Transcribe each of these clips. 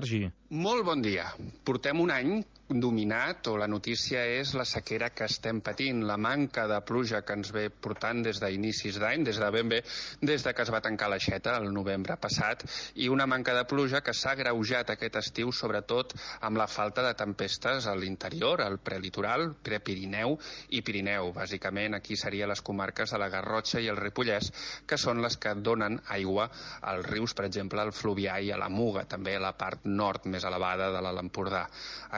Sergi. Molt bon dia. Portem un any dominat, o la notícia és la sequera que estem patint, la manca de pluja que ens ve portant des d'inicis d'any, des de que es va tancar l'aixeta el novembre passat, i una manca de pluja que s'ha agreujat aquest estiu, sobretot amb la falta de tempestes a l'interior, al prelitoral, prepirineu i Pirineu. Bàsicament, aquí serien les comarques de la Garrotxa i el Ripollès, que són les que donen aigua als rius, per exemple, al Fluvià i a la Muga, també a la part nord més elevada de l'Alt Empordà.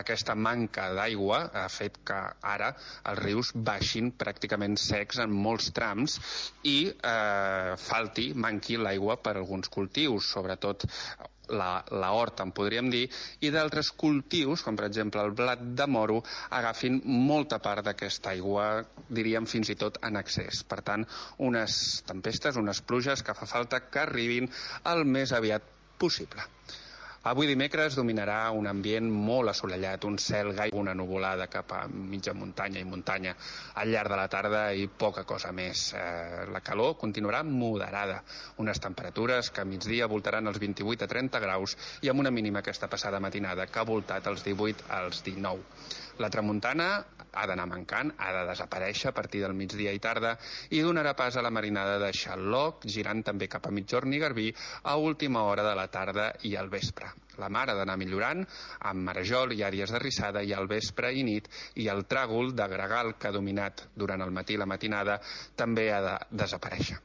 Aquesta manca d'aigua ha fet que ara els rius baixin pràcticament secs en molts trams i manqui l'aigua per a alguns cultius, sobretot la horta, en podríem dir, i d'altres cultius, com per exemple el blat de moro, agafin molta part d'aquesta aigua, diríem fins i tot en excés. Per tant, unes tempestes, unes pluges que fa falta que arribin el més aviat possible. Avui dimecres dominarà un ambient molt assolellat, un cel una nuvolada cap a mitja muntanya i muntanya al llarg de la tarda i poca cosa més. La calor continuarà moderada, unes temperatures que a migdia voltaran els 28 a 30 graus i amb una mínima aquesta passada matinada que ha voltat els 18 als 19. La tramuntana ha d'anar mancant, ha de desaparèixer a partir del migdia i tarda i donarà pas a la marinada de Xaloc, girant també cap a Migjorn i Garbí a última hora de la tarda i al vespre. La mar ha d'anar millorant amb marejol i àrees de rissada i al vespre i nit, i el tràgol de gregal que ha dominat durant el matí i la matinada també ha de desaparèixer.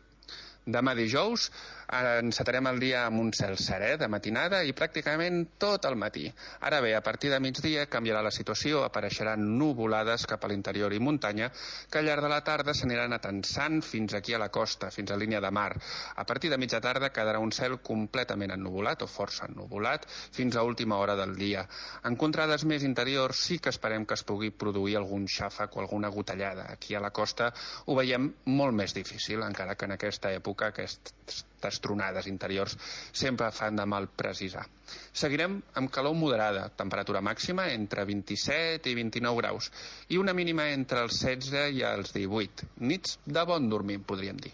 Demà dijous encetarem el dia amb un cel serè de matinada i pràcticament tot el matí. Ara bé, a partir de migdia canviarà la situació, apareixeran nuvolades cap a l'interior i muntanya que al llarg de la tarda s'aniran atensant fins aquí a la costa, fins a línia de mar. A partir de mitja tarda quedarà un cel completament ennuvolat o força ennuvolat fins a última hora del dia. En contrades més interiors sí que esperem que es pugui produir algun xàfec o alguna gotellada. Aquí a la costa ho veiem molt més difícil, encara que en aquesta època aquestes tronades interiors sempre fan de mal precisar. Seguirem amb calor moderada, temperatura màxima entre 27 i 29 graus i una mínima entre els 16 i els 18. Nits de bon dormir, podríem dir.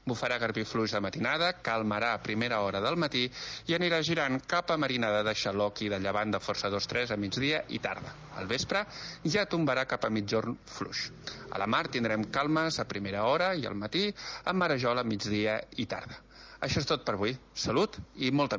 Bufarà garbí fluix de matinada, calmarà a primera hora del matí i anirà girant cap a marinada de Xaloc i de llevant de força 2-3 a migdia i tarda. Al vespre ja tombarà cap a Migjorn fluix. A la mar tindrem calmes a primera hora i al matí amb marejol a migdia i tarda. Això és tot per avui. Salut i molta